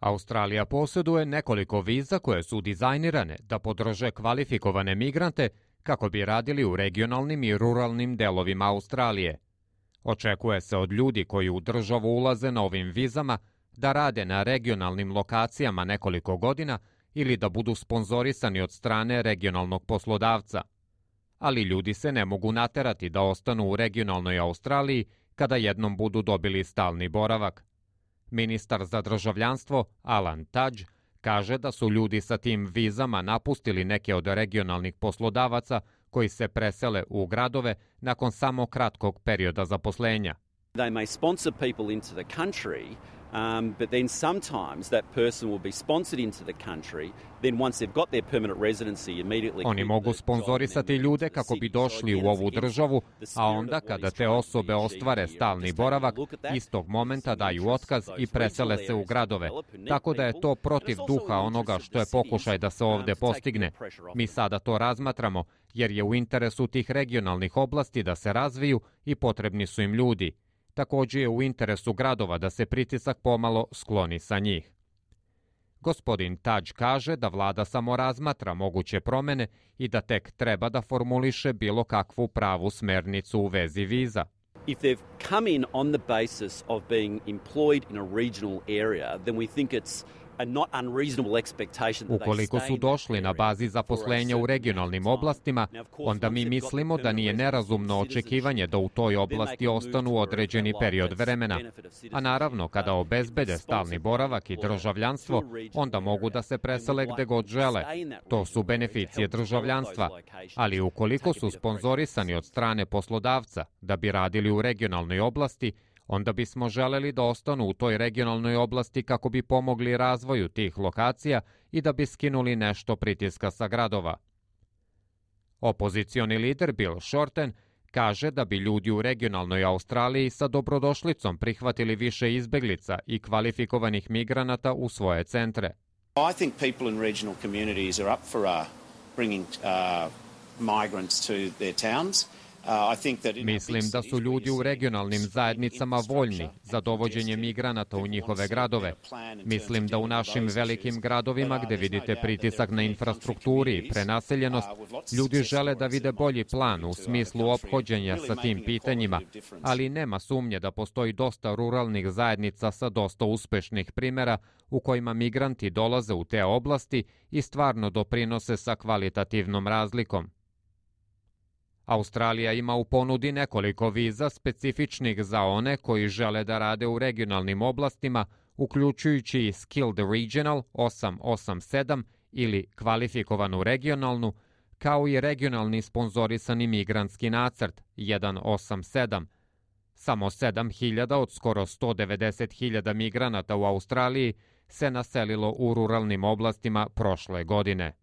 Australija posjeduje nekoliko viza koje su dizajnirane da podrže kvalifikovane migrante kako bi radili u regionalnim i ruralnim delovima Australije. Očekuje se od ljudi koji u državu ulaze na ovim vizama da rade na regionalnim lokacijama nekoliko godina ili da budu sponzorisani od strane regionalnog poslodavca. Ali ljudi se ne mogu naterati da ostanu u regionalnoj Australiji kada jednom budu dobili stalni boravak. Ministar za državljanstvo Alan Tudge kaže da su ljudi sa tim vizama napustili neke od regionalnih poslodavaca koji se presele u gradove nakon samo kratkog perioda zaposlenja. They may sponsor people into the country, but then sometimes that person will be sponsored into the country, then once they've got their permanent residency immediately... Oni mogu sponzorisati ljude kako bi došli u ovu državu, a onda kada te osobe ostvare stalni boravak, istog momenta daju otkaz i presele se u gradove. Tako da je to protiv duha onoga što je pokušaj da se ovde postigne. Mi sada to razmatramo, jer je u interesu tih regionalnih oblasti da se razviju i potrebni su im ljudi. Također je u interesu gradova da se pritisak pomalo skloni sa njih. Gospodin Tudge kaže da vlada samo razmatra moguće promene i da tek treba da formuliše bilo kakvu pravu smernicu u vezi viza. If they've come in on the basis of being employed in a regional area, then we think it's a not unreasonable expectation that they Ukoliko su došli na bazi zaposlenja u regionalnim oblastima, onda mi mislimo da nije nerazumno očekivanje da u toj oblasti ostanu određeni period vremena. A naravno, kada obezbede stalni boravak i državljanstvo, onda mogu da se presele gde god žele. To su beneficije državljanstva. Ali ukoliko su sponzorisani od strane poslodavca da bi radili u regionalnoj oblasti, onda bismo želeli da ostanu u toj regionalnoj oblasti kako bi pomogli razvoju tih lokacija i da bi skinuli nešto pritiska sa gradova. Opozicioni lider Bill Shorten kaže da bi ljudi u regionalnoj Australiji sa dobrodošlicom prihvatili više izbeglica i kvalifikovanih migranata u svoje centre. I think people in regional communities are up for bringing migrants to their towns. Mislim da su ljudi u regionalnim zajednicama voljni za dovođenje migranata u njihove gradove. Mislim da u našim velikim gradovima gde vidite pritisak na infrastrukturi i prenaseljenost, ljudi žele da vide bolji plan u smislu ophođenja sa tim pitanjima, ali nema sumnje da postoji dosta ruralnih zajednica sa dosta uspešnih primera u kojima migranti dolaze u te oblasti i stvarno doprinose sa kvalitativnom razlikom. Australija ima u ponudi nekoliko viza specifičnih za one koji žele da rade u regionalnim oblastima, uključujući i Skilled Regional 887 ili kvalifikovanu regionalnu, kao i regionalni sponzorisani migrantski nacrt 187. Samo 7.000 od skoro 190.000 migranata u Australiji se naselilo u ruralnim oblastima prošle godine.